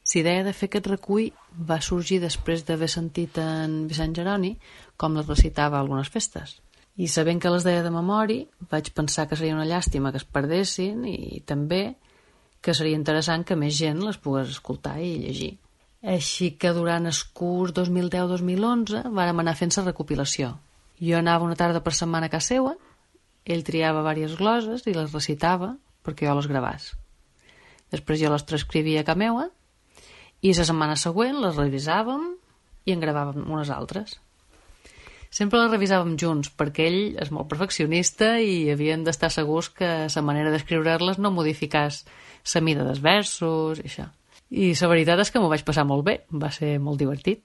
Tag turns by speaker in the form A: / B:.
A: La idea de fer aquest recull va sorgir després d'haver sentit en Vicent Jeroni com les recitava a algunes festes. I sabent que les deia de memòria, vaig pensar que seria una llàstima que es perdessin i també que seria interessant que més gent les pogués escoltar i llegir. Així que durant el curs 2010-2011 vàrem anar fent la recopilació. Jo anava una tarda per setmana a casa seva, ell triava diverses gloses i les recitava perquè jo les gravàs. Després jo les transcrivia a casa meua i la setmana següent les revisàvem i en gravàvem unes altres. Sempre les revisàvem junts perquè ell és molt perfeccionista i havien d'estar segurs que la manera d'escriure-les no modificàs la mida dels versos i això. I la veritat és que m'ho vaig passar molt bé, va ser molt divertit.